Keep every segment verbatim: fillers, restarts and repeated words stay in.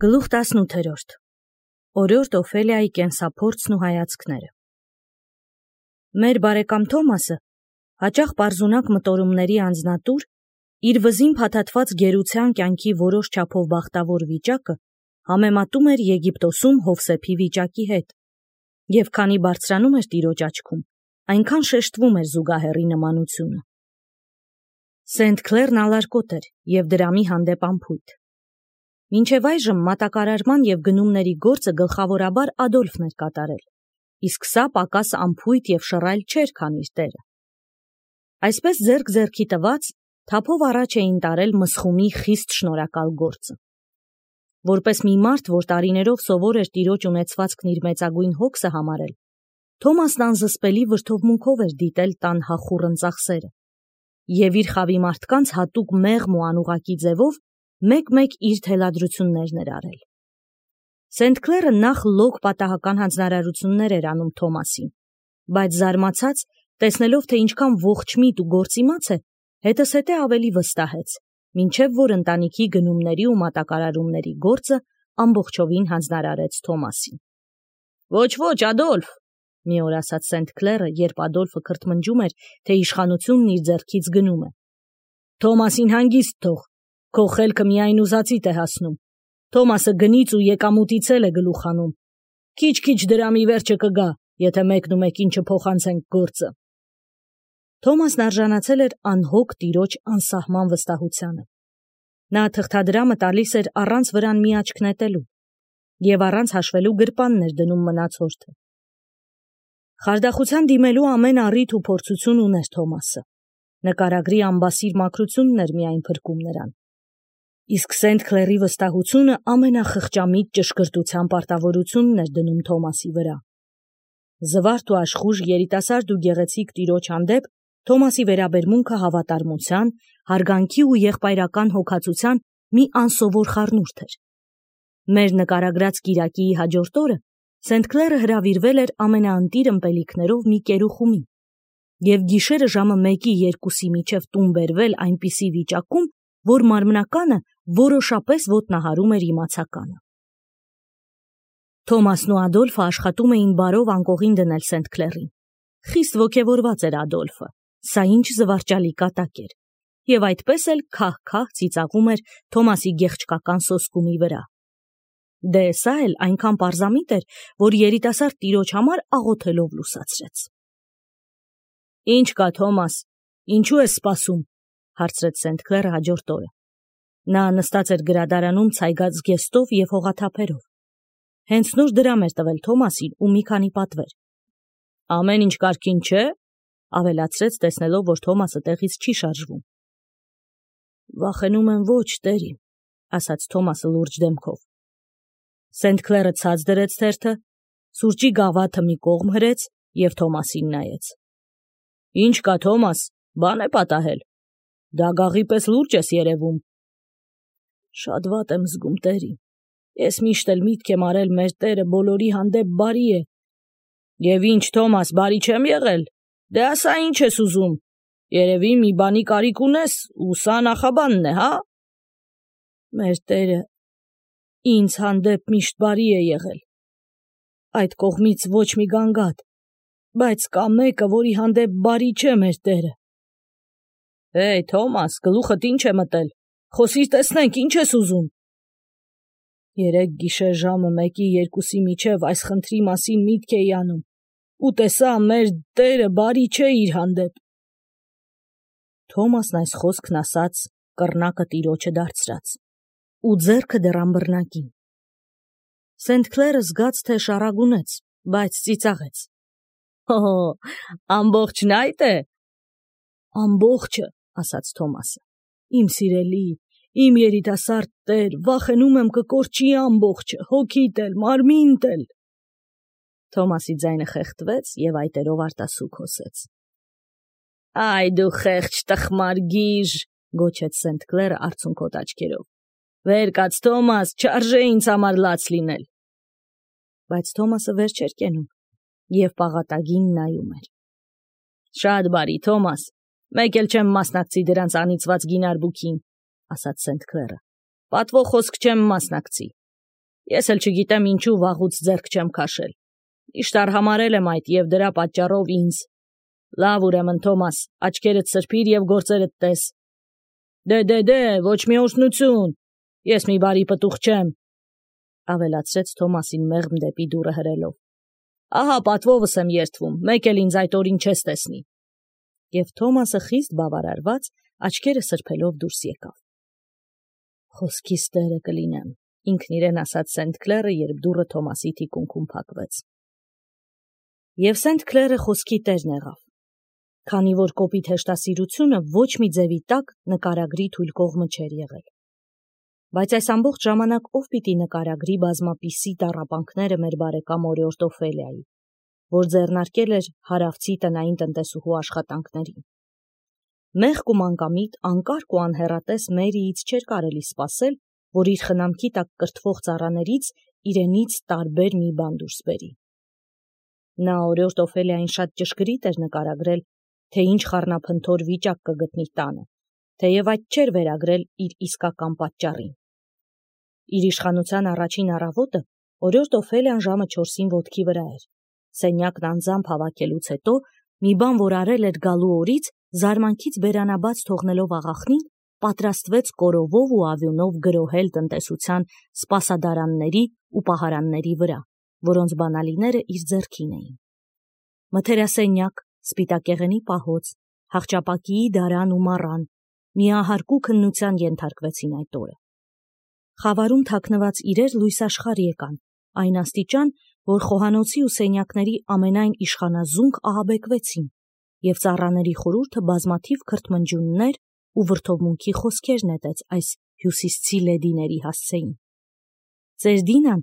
Գլուխ տասնութերորդ Օրորդ Օֆելիայի կենսափորձն ու հայացքները Մեր բարեկամ Թոմասը, հաճախ պարզունակ մտորումների անձնատուր, իր վզին փաթաթված գերության կյանքի որոշ չափով բախտավոր վիճակը համեմատում էր Եգիպտոսում Հովսեփի վիճակի հետ, և քանի բարձրանում էր տիրոջ աչքում, այնքան շեշտվում էր զուգահեռի նմանությունը։ Սենթ Քլերն ալարկոտ էր և դրամի հանդեպ անփույթ։ Մինչև այժմ մատակարարման և գնումների գործը գլխավորաբար Ադոլֆն էր կատարել, իսկ սա պակաս անփույթ և շռայլ չէր, քան իր տերը։ Այսպես ձեռք ձեռքի տված, թափով առաջ էին տարել մսխումի խիստ շնորհակալ գործը։ Որպես մի մարդ, որ տարիներով սովոր էր տիրոջ ունեցվածքն իր մեծագույն հոգսը համարել, Թոմասն անզսպելի վրդովմունքով էր դիտել տան հախուռն ծախսերը, և իր խավի մարդկանց հատուկ մեղմ ու անուղղակի ձևով մեկ-մեկ իր թելադրություններն էր արել։ Սենթ Քլերը նախ լոկ պատահական հանձնարարություններ էր անում Թոմասին, բայց զարմացած, տեսնելով, թե ինչքան ողջմիտ ու գործիմաց է, հետզհետե ավելի վստահեց, մինչև որ ընտանիքի գնումների ու մատակարարումների գործը ամբողջովին հանձնարարեց Թոմասին։ «Ոչ, ոչ, Ադոլֆ», մի օր ասաց Սենթ Քլերը, երբ Ադոլֆը քրթմնջում էր, թե իշխանությունն իր ձեռքից գնում է։ «Թոմասին հանգիստ թող, քո խելքը միայն ուզածիդ է հասնում։ Թոմասը գնից ու եկամուտից էլ է գլուխ հանում։ Քիչ-քիչ դրամի վերջը կգա, եթե մեկն ու մեկին չփոխանցենք գործը»։ Թոմասն արժանացել էր անհոգ տիրոջ անսահման վստահությանը։ Նա թղթադրամը տալիս էր առանց վրան մի աչք նետելու, և առանց հաշվելու գրպանն էր դնում մնացորդը։ Խարդախության դիմելու ամեն առիթ ու փորձություն ուներ Թոմասը։ Նկարագրի ամբասիր մաքրությունն էր միայն փրկում նրան։ Իսկ Սենթ Քլերի վստահությունը ամենախղճամիտ ճշգրտության պարտավորությունն էր դնում Թոմասի վրա։ Զվարթ ու աշխույժ երիտասարդ ու գեղեցիկ տիրոջ հանդեպ Թոմասի վերաբերմունքը հավատարմության, հարգանքի ու եղբայրական հոգացության մի անսովոր խառնուրդ էր։ Մեր նկարագրած կիրակիի հաջորդ օրը Սենթ Քլերը հրավիրվել էր ամենաընտիր ըմպելիքներով մի կերուխումի, և գիշերը ժամը մեկի երկուսի միջև տուն բերվել այնպիսի վիճակում, որ մարմնականը որոշապես ոտնահարում էր իմացականը։ Թոմասն ու Ադոլֆը աշխատում էին բարով անկողին դնել Սենթ Քլերին։ Խիստ ոգևորված էր Ադոլֆը, սա ինչ զվարճալի կատակ էր, և այդպես էլ քահ-քահ ծիծաղում էր Թոմասի գեղչկական սոսկումի վրա։ Դե սա էլ այնքան պարզամիտ էր, որ երիտասարդ տիրոջ համար աղոթելով լուսացրեց։ «Ինչ կա, Թոմաս, ինչու ես սպասում», հարցրեց Սենթ Քլերը հաջորդ օրը։ Նա նստած էր գրադարանում ցայգած զգեստով և հողաթափերով։ Հենց նոր դրամ էր տվել Թոմասին ու մի քանի պատվեր։ «Ամեն ինչ կարգին չէ», ավելացրեց, տեսնելով, որ Թոմասը տեղից չի շարժվում։ «Վախենում եմ ոչ, տերի», ասաց Թոմասը լուրջ դեմքով։ Սենթ Քլերը ցած դրեց թերթը, սուրճի գավաթը մի կողմ հրեց և Թոմասին նայեց։ «Ինչ կա, Թոմաս, բան է պատահել։ Դագաղի պես լուրջ ես երևում»։ «Շատ վատ եմ զգում, տերի։ Ես միշտ էլ միտք եմ արել մեր Տերը բոլորի հանդեպ բարի է»։ «Եվ ինչ, Թոմաս, բարի չեմ եղել։ Դե ասա, ինչ ես ուզում։ Երևի մի բանի կարիք ունես, ու սա նախաբանն է, հա»։ «Մեր Տերը ինձ հանդեպ միշտ բարի է եղել։ Այդ կողմից ոչ մի գանգատ, բայց կա մեկը, որի հանդեպ բարի չէ մեր Տերը»։ «Հեյ, Թոմաս, գլուխդ ինչ է մտել։ Խոսիր, տեսնենք, ինչ ես ուզում»։ «Երեկ գիշեր ժամը մեկի երկուսի միջև այս խնդրի մասին միտք էի անում, ու տեսա, մեր Տերը բարի չէ իր հանդեպ»։ Թոմասն այս խոսքն ասաց, կռնակը տիրոջը դարձրած, ու ձեռքը դեռ ըմբռնակին։ Սենթ Քլերը զգաց, թե շառագունեց, բայց ծիծաղեց։ «Հո, ամբողջն այդ է»։ «Ամբողջը», ասաց Թոմասը։ «Իմ սիրելի, իմ երիտասարդ տեր, վախենում եմ կկորչի ամբողջը, հոգիդ էլ, մարմինդ էլ»։ Թոմասի ձայնը խեղդվեց և այտերով արտասուք հոսեց։ «Այ դու խեղճ տխմար գիժ», գոչեց Սենթ Քլերը արցունքոտ աչքերով։ «Վեր կաց, Թոմաս, չարժե ինձ համար լաց լինել»։ Բայց Թոմասը վեր չէր կենում և պաղատագին նայում էր։ «Շատ բարի, Թոմաս, մեկ էլ չեմ մասնակցի դրանց անիծված գինարբուքին», ասաց Սենթ Քլերը։ «Պատվո խոսք չեմ մասնակցի։ Ես էլ չգիտեմ ինչու վաղուց ձեռք չեմ քաշել։ Միշտ արհամարել եմ այդ եւ դրա պատճառով ինձ։ Լավ ուրեմն Թոմաս, աչքերդ սրբիր եւ գործերդ տես։ Դե դե դե, ոչ մի օժնություն։ Ես մի բարի պտուղ չեմ, ավելացրեց Թոմասին մեղմ դեպի դուռը հրելով։ Ահա պատվովս եմ երդվում, մեկ էլ ինձ այդ օրին չես տեսնի։ Եվ Թոմասը խիստ բավարարված աչքերը սրբելով դուրս եկավ։ Խոսքիս տերը կլինեմ, ինքն իրեն ասաց Սենթ Քլերը, երբ դուռը Թոմասի թիկունքում փակվեց։ Եվ Սենթ Քլերը խոսքի տերն եղավ, քանի որ կոպիտ հեշտասիրությունը ոչ մի ձևի տակ նկարագրի թույլ կողմը չէր եղել։ Բայց այս ամբողջ ժամանակ ով պիտի նկարագրի բազմապիսի տառապանքները մեր բարեկամ օրիորդ Օֆելիայի, որ ձեռնարկել էր հարավցի տնային տնտեսուհու աշխատանքներին։ Մեղք ու մանկամիտ, անկարգ ու անհեռատես Մերիից չէր կարելի սպասել, որ իր խնամքի տակ կրթվող ծառաներից իրենից տարբեր մի բան դուրս բերի։ Նա օրիորդ Օֆելիային շատ ճշգրիտ էր նկարագրել, թե ինչ խառնափնթոր վիճակ կգտնի տանը, թեև այդ չէր վերագրել իր իսկական պատճառին։ Իր իշխանության առաջին առավոտը օրիորդ Օֆելիան ժամը չորսին ոտքի վրա էր։ Սենյակն անձամբ հավաքելուց հետո մի բան, որ արել էր գալու օրից, զարմանքից բերանաբաց թողնելով աղախնին, պատրաստվեց կորովով ու ավյունով գրոհել տնտեսության սպասադարանների ու պահարանների վրա, որոնց բանալիները իր ձեռքին էին։ Մթերասենյակ, սպիտակեղենի պահոց, հախճապակիի դարան ու մառան միահարկու քննության ենթարկվեցին այդ օրը։ Խավարում թաքնված իրեր լույս աշխարհ եկան, այն աստիճան, որ խոհանոցի ու սենյակների ամենայն իշխանազունգ ահաբեկվեցին, եւ ծառաների խորհուրդը բազմաթիվ քրթմնջյուններ ու վրդովմունքի խոսքեր նետեց այս հյուսիսցի լեդիների հասցեին։ Ձեր Դինան,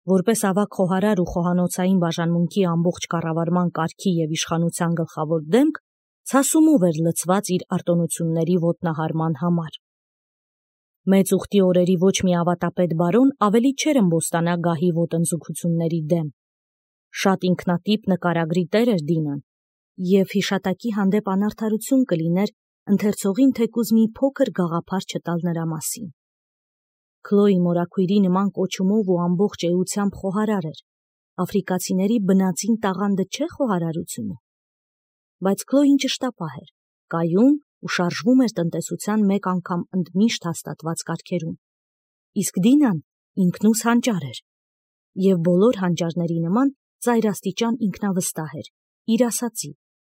որպես ավագ խոհարար ու խոհանոցային բաժանմունքի ամբողջ կառավարման կարգի եւ իշխանության գլխավոր դեմք, ցասումով էր լցված իր արտոնությունների ոտնահարման համար։ Մեծ ուխտի օրերի ոչ մի ավատապետ բարոն ավելի չէր ըմբոստանա գահի ոտնձգությունների դեմ։ Շատ ինքնատիպ նկարագրի տեր էր Դինան, եւ հիշատակի հանդեպ անարդարություն կլիներ ընթերցողին թեկուզ մի փոքր գաղափար չտալ նրա մասին։ Քլոյի մորաքույրի նման կոչումով ու ամբողջ էությամբ խոհարար էր, աֆրիկացիների բնածին տաղանդը չէ խոհարարությունը։ Բայց Քլոյին ճշտապահ էր, կայուն ու շարժվում էր տնտեսության մեկ անգամ ընդմիշտ հաստատված կարգերում։ Իսկ Դինան ինքնուս հանճար էր, եւ բոլոր հանճարների նման ծայրաստիճան ինքնավստահ էր, իր ասածի,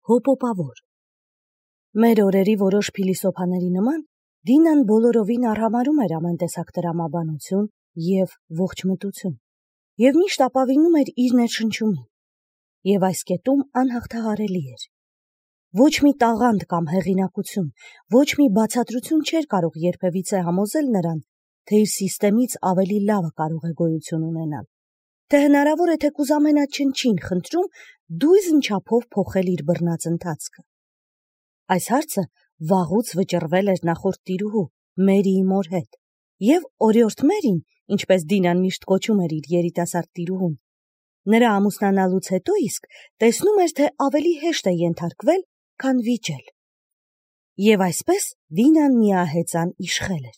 հոպոպավոր։ Մեր օրերի որոշ փիլիսոփաների նման Դինան բոլորովին արհամարում էր ամեն տեսակ տրամաբանություն եւ ողջմտություն, եւ միշտ ապավինում էր իր ներշնչումին, եւ այս կետում անհաղթահարելի էր։ Ոչ մի տաղանդ կամ հեղինակություն, ոչ մի բացատրություն չէր կարող երբևիցե համոզել նրան, թե իր սիստեմից ավելի լավը կարող է գոյություն ունենալ, թե հնարավոր է թեկուզ ամենաչնչին խնդրում դույզն չափով փոխել իր բռնած ընթացքը։ Այս հարցը վաղուց վճռվել էր նախորդ տիրուհու Մերիի մոր հետ, եւ օրիորդ Մերին, ինչպես Դինան միշտ կոչում էր իր երիտասարդ տիրուհուն, նրա ամուսնանալուց հետո իսկ տեսնում էր, թե ավելի հեշտ է ենթարկվել, քան վիճել։ Եվ այսպես Դինան միահեծան իշխել էր։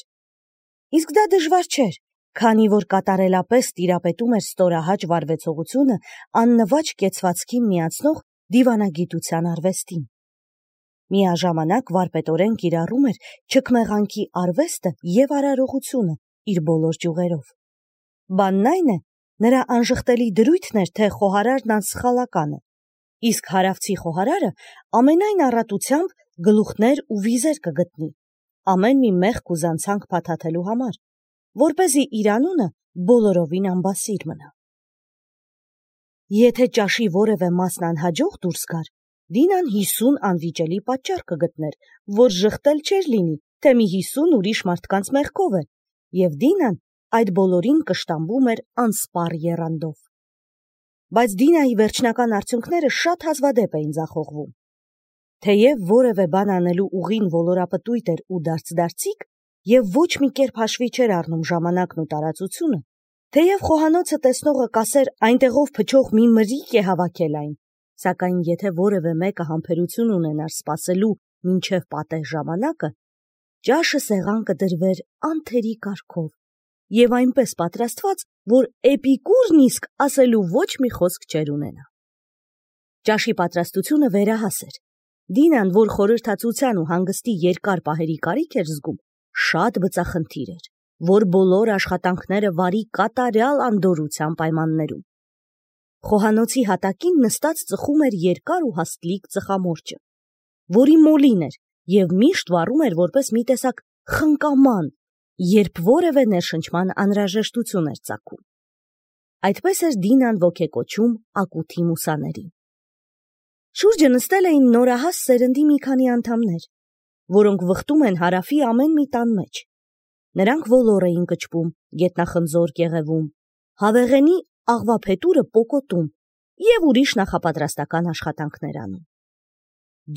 Իսկ դա դժվար չէր, քանի որ կատարելապես տիրապետում էր ստորահաճ վարվեցողությունը աննվաճ կեցվածքին միացնող դիվանագիտության արվեստին։ Միաժամանակ վարպետորեն կիրառում էր չքմեղանքի արվեստը եւ արարողությունը իր բոլոր ճյուղերով։ Բանն այն է, նրա անժխտելի դրույթն էր, թե խոհարարն անսխալական է, իսկ հարավցի խոհարարը ամենայն առատությամբ գլուխներ ու վիզեր կգտնի, ամեն մի մեղք ու զանցանք փաթաթելու համար, որպեսզի իր անունը բոլորովին անբասիր մնա։ Եթե ճաշի որևէ մասն անհաջող դուրս գար, Դինան հիսուն անվիճելի պատճառ կգտներ, որ ժխտել չէր լինի, թե մի հիսուն ուրիշ մարդկանց մեղքով է, եւ Դինան այդ բոլորին կշտամբում էր անսպառ եռանդով։ Բայց Դինայի վերջնական արդյունքները շատ հազվադեպ էին ձախողվում։ Թեև որևէ բան անելու ուղին ոլորապտույտ էր ու դարձ-դարձիկ, եւ ոչ մի կերպ հաշվի չէր առնում ժամանակն ու տարածությունը, թեև խոհանոցը տեսնողը կասեր այնտեղով փչող մի մրիկ է հավաքել այն, սակայն եթե որևէ մեկը համբերություն ունենար սպասելու մինչև պատեհ ժամանակը, ճաշը սեղան կդրվեր անթերի կարգով եւ այնպես պատրաստված, որ Էպիկուրն իսկ ասելու ոչ մի խոսք չէր ունենա։ Ճաշի պատրաստությունը վերահաս էր։ Դինան, որ խորհրդածության ու հանգստի երկար պահերի կարիք էր զգում, շատ բծախնդիր էր, որ բոլոր աշխատանքները վարի կատարյալ անդորրության պայմաններում։ Խոհանոցի հատակին նստած ծխում էր երկար ու հաստլիկ ծխամորճը, որի մոլին էր եւ միշտ վառում էր որպես մի տեսակ խնկաման, երբ որևէ ներշնչման անհրաժեշտություն էր ծագում։ Այդպես էր Դինան ոգեկոչում ակութի մուսաներին։ Շուրջը նստել էին նորահաս սերնդի մի քանի անդամներ, որոնք վխտում են հարավի ամեն մի տան մեջ։ Նրանք ոլոր էին կճվում, գետնախնձոր կեղևում, հավեղենի աղվափետուրը պոկոտում եւ ուրիշ նախապատրաստական աշխատանքներ անում։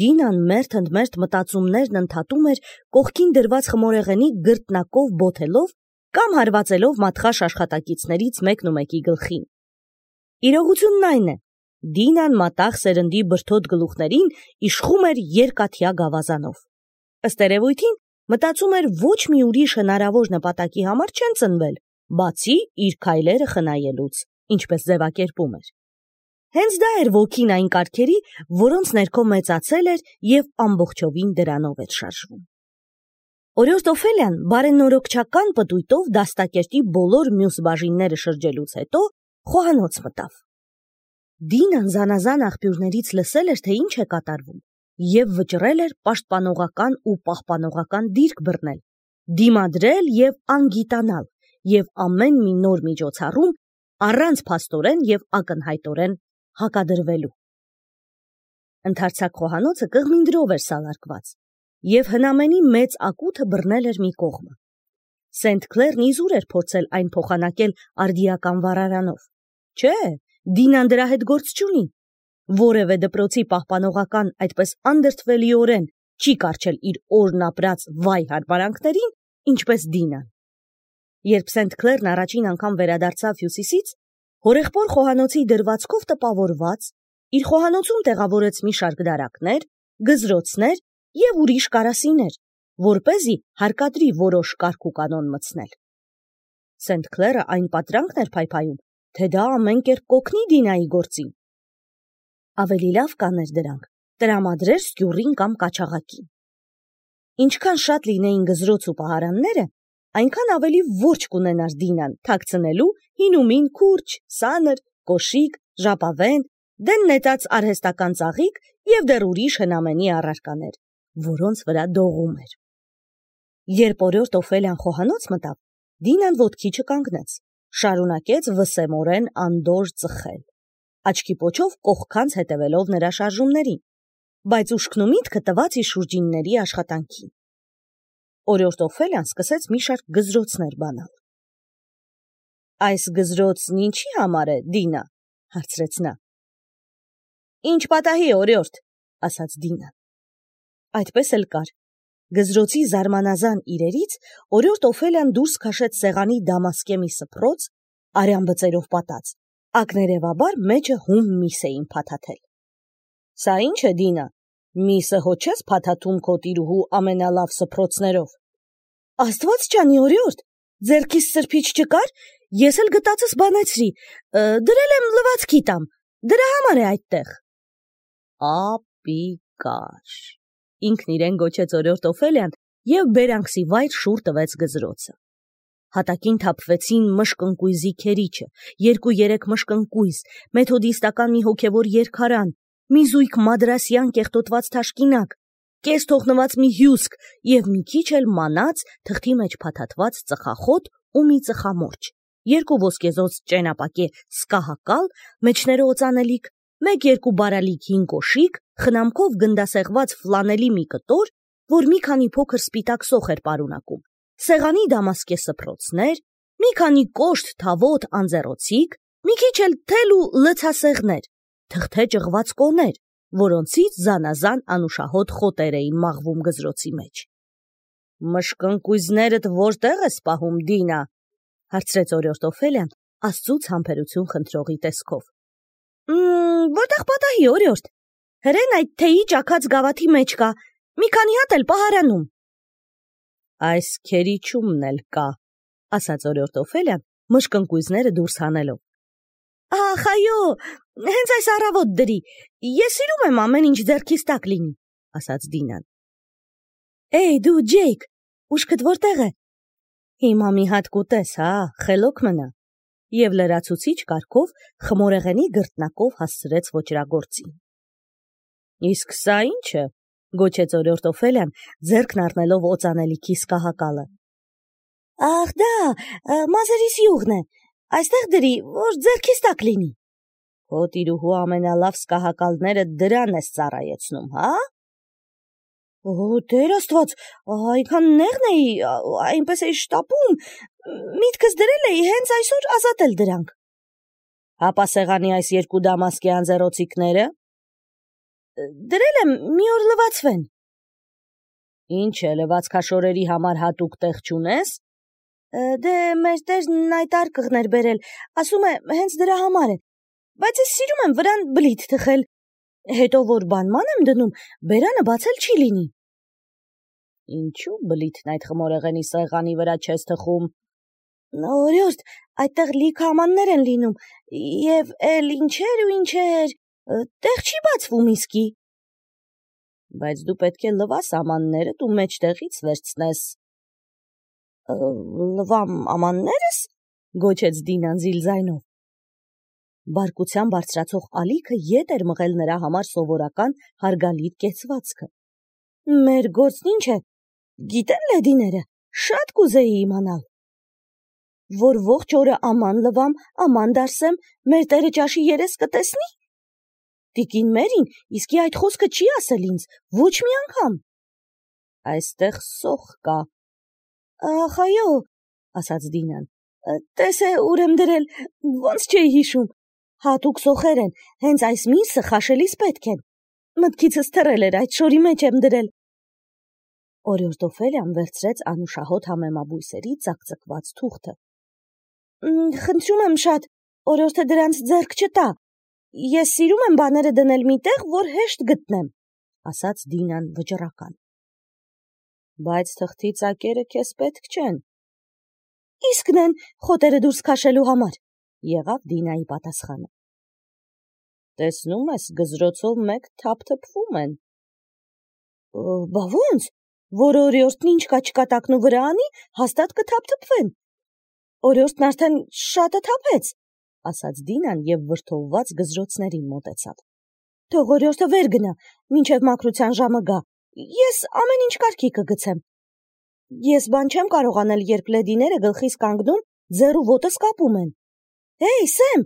Դինան մերթ-ընդմերթ մտածումներն ընդհատում էր կողքին դրված խմորեղենի գրտնակով բոթելով կամ հարվածելով մատխաշ աշխատակիցներից մեկն ու մեկի գլխին։ Իրողությունն այն է, Դինան մատաղ սերնդի բրդոտ գլուխներին իշխում էր երկաթյա գավազանով։ Ըստ երևույթին մտածում էր ոչ մի ուրիշ հնարավոր նպատակի համար չեն ծնվել, բացի իր քայլերը խնայելուց, ինչպես ձևակերպում էր։ Հենց դա էր ոգին այն կարգերի, որոնց ներքո մեծացել էր եւ ամբողջովին դրանով էր շարժվում։ Օրիորդ Օֆելիան բարենորոգչական պտույտով դաստակերտի բոլոր մյուս բաժինները շրջելուց հետո խոհանոց մտավ։ Դինան զանազան աղբյուրներից լսել էր, թե ինչ է կատարվում, եւ վճռել էր պաշտպանողական ու պահպանողական դիրք բռնել, դիմադրել եւ անգիտանալ, եւ ամեն մի նոր միջոցառում առանց փաստորեն եւ ակնհայտորեն հակադրվելու։ Ընդարձակ խոհանոցը կղմինդրով էր սալարկված, եւ հնամենի մեծ ակութը բռնել էր մի կողմը։ Սենթ Քլերն իզուր էր փորձել այն փոխանակել արդիական վառարանով։ Չէ, Դինան դրա հետ գործ չունի։ Որևէ դպրոցի պահպանողական այդպես անդրդվելիորեն չի կարճել իր օրն ապրած վայ հարմարանքներին, ինչպես Դինան։ Երբ Սենթ Քլերն առաջին անգամ վերադարձավ Հյուսիսից, հորեղբոր խոհանոցի դրվածքով տպավորված, իր խոհանոցում տեղավորեց մի շարք դարակներ, գզրոցներ եւ ուրիշ կարասիներ, որպեսզի հարկադրի որոշ կարգ ու կանոն մտցնել։ Սենթ Քլերը այն պատրանքն էր փայփայում, թե դա ամեն կերպ կօգնի Դինայի գործին։ Ավելի լավ կաներ դրանք տրամադրեր սկյուռին կամ կաչաղակին։ Ինչքան շատ լինեին գզրոց ու պահարանները, այնքան ավելի որջկ կունենար Դինան թաքցնելու հինումին քուրջ, սանր, կոշիկ, ժապավեն, դեն նետած արհեստական ծաղիկ եւ դեռ ուրիշ հնամենի առարկաներ, որոնց վրա դողում էր։ Երբ օրիորդ Օֆելիան խոհանոց մտավ, Դինան ոտքի չկանգնեց, շարունակեց վսեմորեն անդորր ծխել, աչքի պոչով կողքանց հետևելով նրա շարժումներին, բայց ուշքն ու միտքը տված իր շուրջինների աշխատանքին։ Օրիորդ Օֆելիան սկսեց մի շարք գզրոցներ բանալ։ Այս գզրոցն ինչի համար է, Դինա, հարցրեց նա։ Ինչ պատահի, օրիորդ, ասաց Դինան։ Այդպես էլ կար։ Գզրոցի զարմանազան իրերից օրիորդ Օֆելիան դուրս քաշեց սեղանի դամասկե մի սփռոց, արյան բծերով պատած, ակներևաբար մեջը հում միս էին փաթաթել։ Սա ինչ է, Դինա, միսը հո չես փաթաթում քո տիրուհու ամենալավ սփռոցներով։ Աստված ջանի, օրիորդ, ձեռքիս սրբիչ չկար, ես էլ գտածս բանեցրի, դրել եմ լվացքի տամ, դրա համար է այդտեղ։ Ապիկար, ինքն իրեն գոչեց օրիորդ Օֆելիան եւ բերանքսի վայր շուռ տվեց գզրոցը։ Հատակին թափվեցին մշկընկույզի քերիչը, երկու-երեք մշկընկույզ, մեթոդիստական մի հոգևոր երկարան, մի զույգ մադրասյան կեղտոտված թաշկինակ, կես թողնված մի հյուսկ եւ մի քիչ էլ մանած թղթի մեջ փաթաթված ծխախոտ ու մի ծխամորճ, երկու ոսկեզոծ ճենապակե սկահակալ, մեջները օծանելիք, մեկ-երկու բարալիկ հին կոշիկ, խնամքով գնդասեղված ֆլանելի մի կտոր, որ մի քանի փոքր սպիտակ սոխ էր պարունակում, սեղանի դամասկե սփռոցներ, մի քանի կոշտ թավոտ անձեռոցիկ, մի քիչ էլ թել ու լցասեղներ, թղթե ճղված կոներ, որոնցից զանազան անուշահոտ խոտեր էին մաղվում գզրոցի մեջ։ Մշկընկույզներդ որտեղ ես պահում, Դինա, հարցրեց օրիորդ Օֆելիան աստծուց համբերություն խնդրողի տեսքով։ Մմ, որտեղ պատահի, օրիորդ, հրեն այդ թեյի ճաքած գավաթի մեջ կա, մի քանի հատ էլ պահարանում։ Այս քերիչումն էլ կա, ասաց օրիորդ Օֆելիան, մշկնկույզները դուրս հանելով։ Ախ, այո, հենց այս առավոտ դրի, ես սիրում եմ ամեն ինչ ձեռքիս տակ լինի, ասաց Դինան։ Էй, դու, Ջեյք, ուշքդ որտեղ է։ Հիմա մի հատ կուտես, հա, խելոք մնա։ Եվ լրացուցիչ կարգով խմորեղենի գրտնակով հասցրեց ոճրագործին։ Իսկ սա ի՞նչ է, գոչեց օրիորդ Օֆելիան, ձեռքն առնելով օծանելիքի սկահակալը։ Ախ, դա, մազերիս յուղն է, այստեղ դրի, որ ձեռքիս տակ լինի։ Քո տիրուհու ամենալավ սկահակալները դրան ես ծառայեցնում, հա։ Օ, Տեր Աստված, այնքան նեղն էի, այնպես էի շտապում, միտքս դրել էի հենց այսօր ազատել դրանք։ Հապա սեղանի այս երկու դամասկի անձեռոցիկները։ Դրել եմ, մի օր լվացվեն։ Ինչ է, լվացքաշորերի համար հատուկ տեղ չունես։ Դե մեր տերն այդ արկղն էր բերել, ասում է, հենց դրա համար է, բայց ես սիրում եմ վրան բլիթ թխել, հետո որ բանման եմ դնում, բերանը բացել չի լինի։ Ինչու բլիթն այդ խմորեղենի սեղանի վրա չես թխում։ Օրիորդ, այդտեղ լիքը ամաններ են լինում, և էլ ինչեր ու ինչեր, տեղ չի բացվում իսկի։ Բայց դու պետք է լվաս ամաններդ ու մեջտեղից վերցնես։ Լվամ ամաններս, գոչեց Դինան զիլ ձայնով։ Բարկության բարձրացող ալիքը ետ էր մղել նրա համար սովորական հարգալից կեցվածքը։ Մեր գործն ինչ է, գիտեն լեդիները, շատ կուզեի իմանալ։ Որ ողջ օրը աման լվամ, աման դարսեմ, մեր տերը ճաշի երես կտեսնի։ Տիկին Մերին իսկի այդ խոսքը չի ասել ինձ, ոչ մի անգամ։ Այստեղ սոխ կա։ Ախ, այո, ասաց Դինան, տես է ուր եմ դրել, ոնց չէի հիշում, հատուկ սոխեր են, հենց այս միսը խաշելիս պետք են, մտքիցս թռել էր, այդ շորի մեջ եմ դրել։ Օրիորդ Օֆելիան վերցրեց անուշահոտ համեմաբույսերի ծակծկված թուղթը։ Խնդրում եմ շատ, օրիորդը դրանց ձեռք չտա, ես սիրում եմ բաները դնել մի տեղ, որ հեշտ գտնեմ, ասաց Դինան վճռական։ Բայց թղթի ծակերը քեզ պետք չեն։ Իսկն են, խոտերը դուրս քաշելու համար, եղավ Դինայի պատասխանը։ Տեսնում ես, գզրոցով մեկ թափթփվում են։ Բա ոնց, որ օրիորդն ինչ կա չկա տակնու վրա անի, հաստատ կթափթփվեն։ Օրիորդն արդեն շատը թափեց, ասաց Դինան և վրդովված գզրոցներին մոտեցավ։ Թող օրիորդը վեր գնա, մինչև մաքրության ժամը գա, ես ամեն ինչ կարգի կգցեմ։ Ես բան չեմ կարող անել, երբ լեդիները գլխիս կանգնում, ձեռ ու ոտս կապում են։ Հեյ, Սեմ,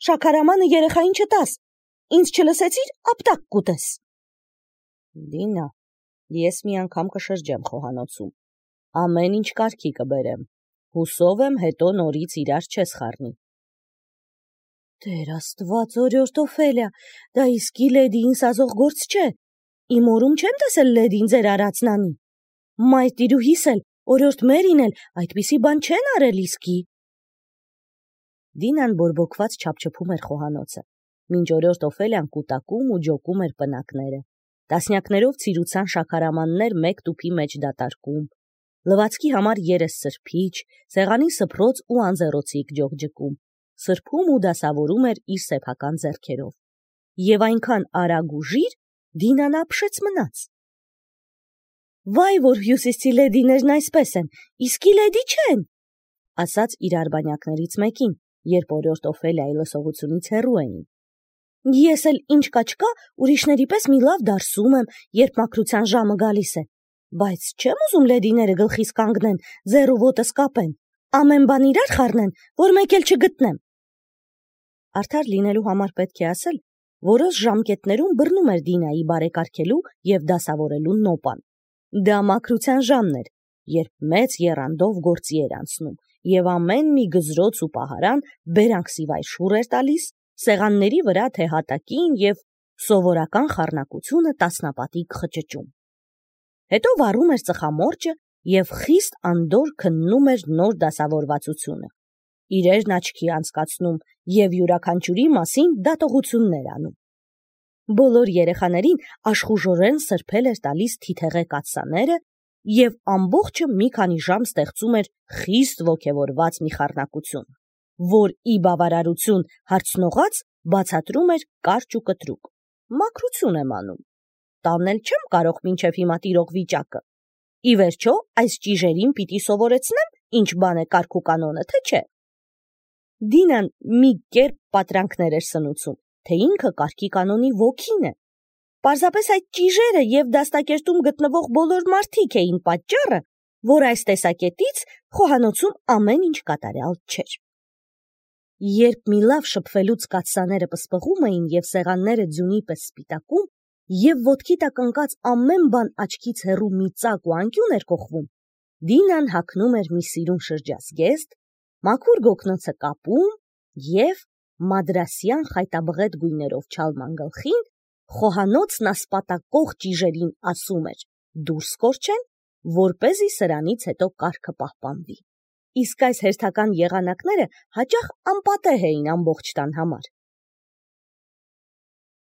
շաքարամանը երեխային չտաս, ինձ չլսեցիր, ապտակ կուտես։ Դինա, ես մի անգամ կշրջեմ խոհանոցում, ամեն ինչ կարգի կբերեմ, հուսով եմ հետո նորից իրար չես խառնի։ Տեր Աստված, օրիորդ Օֆելիա, դա իսկի լեդիին սազող գործ չէ, իմ օրում չեմ տեսել լեդին ձեր արածն անի։ Մայր տիրուհիս էլ, օրիորդ Մերին էլ այդպիսի բան չեն արել իսկի։ Դինան բորբոքված չափչփում էր խոհանոցը, մինչ օրիորդ Օֆելիան կուտակում ու ջոկում էր պնակները, տասնյակներով ցիրուցան շաքարամաններ մեկ տուփի մեջ դատարկում, լվացքի համար երես սրբիչ, սեղանի սփռոց ու անձեռոցիկ ջողջկում, սրբում ու դասավորում էր իր սեփական ձեռքերով։ Եվ այնքան արագ ու ժիր Դինան ապշեց մնաց։ Վայ, որ հյուսիսցի լեդիներն այսպես են, իսկի լեդի չեն, ասաց իր արբանյակներից մեկին, երբ օրիորդ Օֆելիայի լսողությունից հեռու էին։ Ես էլ ինչ կա չկա, ուրիշների պես մի լավ դարսում եմ, երբ մաքրության ժամը գալիս է, բայց չեմ ուզում լեդիները գլխիս կանգնեն, ձեռ ու ոտս կապեն, ամեն բան իրար խառնեն, որ մեկ էլ չգտնեմ։ Արդար լինելու համար պետք է ասել, որոշ ժամկետներում բռնում էր Դինայի բարեկարգելու և դասավորելու նոպան։ Դա մաքրության ժամն էր, երբ մեծ եռանդով գործի էր անցնում, և ամեն մի գզրոց ու պահարան բերանքսիվայ շուռ էր տալիս, սեղանների վրա թե հատակին և սովորական խառնակությունը տասնապատիկ խճճում։ Հետո վառում էր ծխամորճը և խիստ անդորր քննում էր նոր դասավորվածությունը, իրերն աչքի անցկացնում և յուրաքանչյուրի մասին դատողություններ անում։ Բոլոր երեխաներին աշխուժորեն սրբել էր տալիս թիթեղե կաթսաները և ամբողջը մի քանի ժամ ստեղծում էր խիստ ոգևորված մի խառնակություն, որ ի բավարարություն հարցնողաց բացատրում էր կարճ ու կտրուկ. «Մաքրություն եմ անում, տանել չեմ կարող մինչև հիմա տիրող վիճակը, ի վերջո այս ճիժերին պիտի սովորեցնեմ ինչ բան է կարգ ու կանոնը, թե չէ»։ Դինան մի կերպ պատրանքներ էր սնուցում, թե ինքը կարգի կանոնի ոգին է։ Պարզապես այդ ճիժերը և դաստակերտում գտնվող բոլոր մարդիկ էին պատճառը, որ այս տեսակետից խոհանոցում ամեն ինչ կատարյալ չէր։ Երբ մի լավ շփվելուց կաթսաները պսպղում էին և սեղանները ձյունի պես սպիտակում, և ոտքի տակ ընկած ամեն բան աչքից հեռու մի ծակ ու անկյուն էր կոխվում, Դինան հագնում էր մի սիրուն շրջազգեստ, մաքուր գոգնոցը կապում և մադրասյան խայտաբղետ գույներով չալման գլխին խոհանոցն ասպատակող ճիժերին ասում էր. «Դուրս կորչեն, որպեսզի սրանից հետո կարգը պահպանվի»։ Իսկ այս հերթական եղանակները հաճախ անպատեհ էին ամբողջ տան համար։